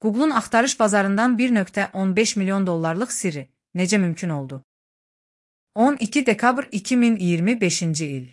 Google'un axtarış bazarından 1,15 milyon dollarlıq sirri necə mümkün oldu? 12 dekabr 2025-ci il.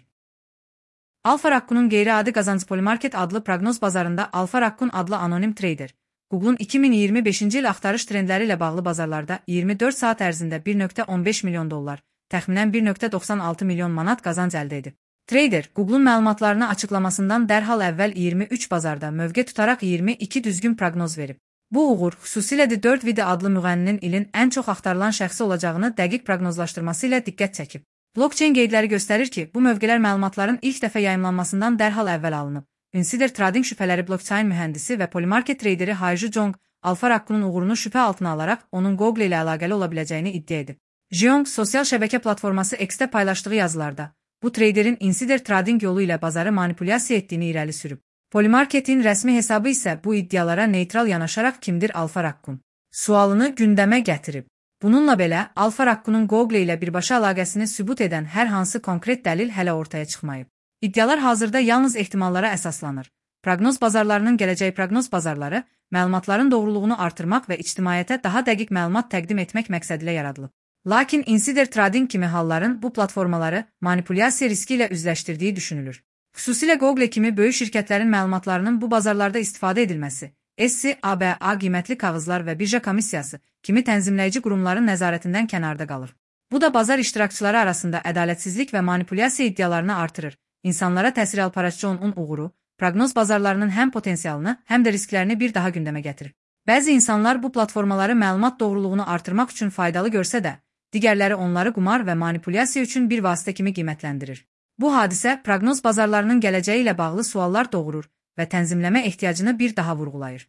Alfa Rakkun'un qeyri-adi qazancı Polymarket adlı proqnoz bazarında Alfa Rakkun adlı anonim trader, Google'un 2025-ci il axtarış trendləri ilə bağlı bazarlarda 24 saat ərzində 1,15 milyon dollar, təxminən 1,96 milyon manat qazanc əldə edib. Trader, Google'un məlumatlarını açıqlamasından dərhal əvvəl 23 bazarda mövqe tutaraq 22 düzgün proqnoz verib. Bu uğur, xüsusilə də 4 video adlı müğənninin ilin ən çox axtarılan şəxsi olacağını dəqiq proqnozlaşdırması ilə diqqət çəkib. Blockchain qeydləri göstərir ki, bu mövqelər məlumatların ilk dəfə yayımlanmasından dərhal əvvəl alınıb. Insider Trading şübhələri blockchain mühəndisi və Polymarket traderi Haiju Zhong, Alfa Rakkun'un uğurunu şübhə altına alaraq onun Google ilə əlaqəli ola biləcəyini iddia edib. Zhong, sosial şəbəkə platforması X-də paylaşdığı yazılarda, bu traderin Insider Trading yolu ilə bazarı manipulyasiya etdiyini irəli sürüb. Polymarket'in rəsmi hesabı isə bu iddialara neytral yanaşaraq kimdir Alfa Rakkun sualını gündəmə gətirib. Bununla belə, Alfa Rakkun'un Google ilə birbaşa əlaqəsini sübut edən hər hansı konkret dəlil hələ ortaya çıxmayıb. İddialar hazırda yalnız ehtimallara əsaslanır. Proqnoz bazarlarının gələcəyi proqnoz bazarları, məlumatların doğruluğunu artırmaq və ictimaiyyətə daha dəqiq məlumat təqdim etmək məqsədilə yaradılıb. Lakin Insider Trading kimi halların bu platformaları manipulyasiya riski ilə üzləşdirdiyi düşünülür. Xüsusilə Google kimi böyük şirkətlərin məlumatlarının bu bazarlarda istifadə edilməsi, SCABA qiymətli kağızlar və birja komissiyası kimi tənzimləyici qurumların nəzarətindən kənarda qalır. Bu da bazar iştirakçıları arasında ədalətsizlik və manipulyasiya iddialarını artırır. İnsanlara təsir alparaçı onun uğuru, proqnoz bazarlarının həm potensialını, həm də risklərini bir daha gündəmə gətirir. Bəzi insanlar bu platformaları məlumat doğruluğunu artırmaq üçün faydalı görsə də, digərləri onları qumar və manipulyasiya üçün bir vasitə kimi qiymətləndirir. Bu hadisə proqnoz bazarlarının gələcəyi ilə bağlı suallar doğurur və tənzimləmə ehtiyacını bir daha vurğulayır.